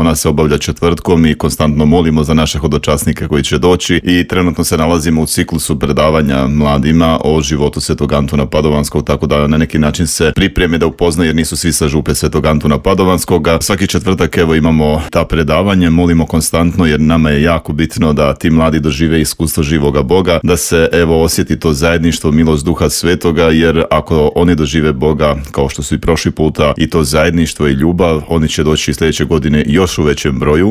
ona se obavlja četvrtkom i konstantno molimo za naše hodočasnike koji će doći i trenutno se nalazimo u ciklusu predavanja mladima o životu Svetog Antuna Padovanskog, tako da na neki način se pripreme da upoznaju jer nisu svi sa župe Svetog Antuna Padovanskog. Svaki četvrtak evo imamo ta predavanje, molimo konstantno jer nama je jako bitno da ti mladi dožive iskustvo živoga Boga, da se evo osjeti to zajedništvo, milost Duha Svetoga, jer ako oni dožive Boga kao što su i prošli puta i to zajedništvo i ljubav, oni će doći sljedeće godine još u većem broju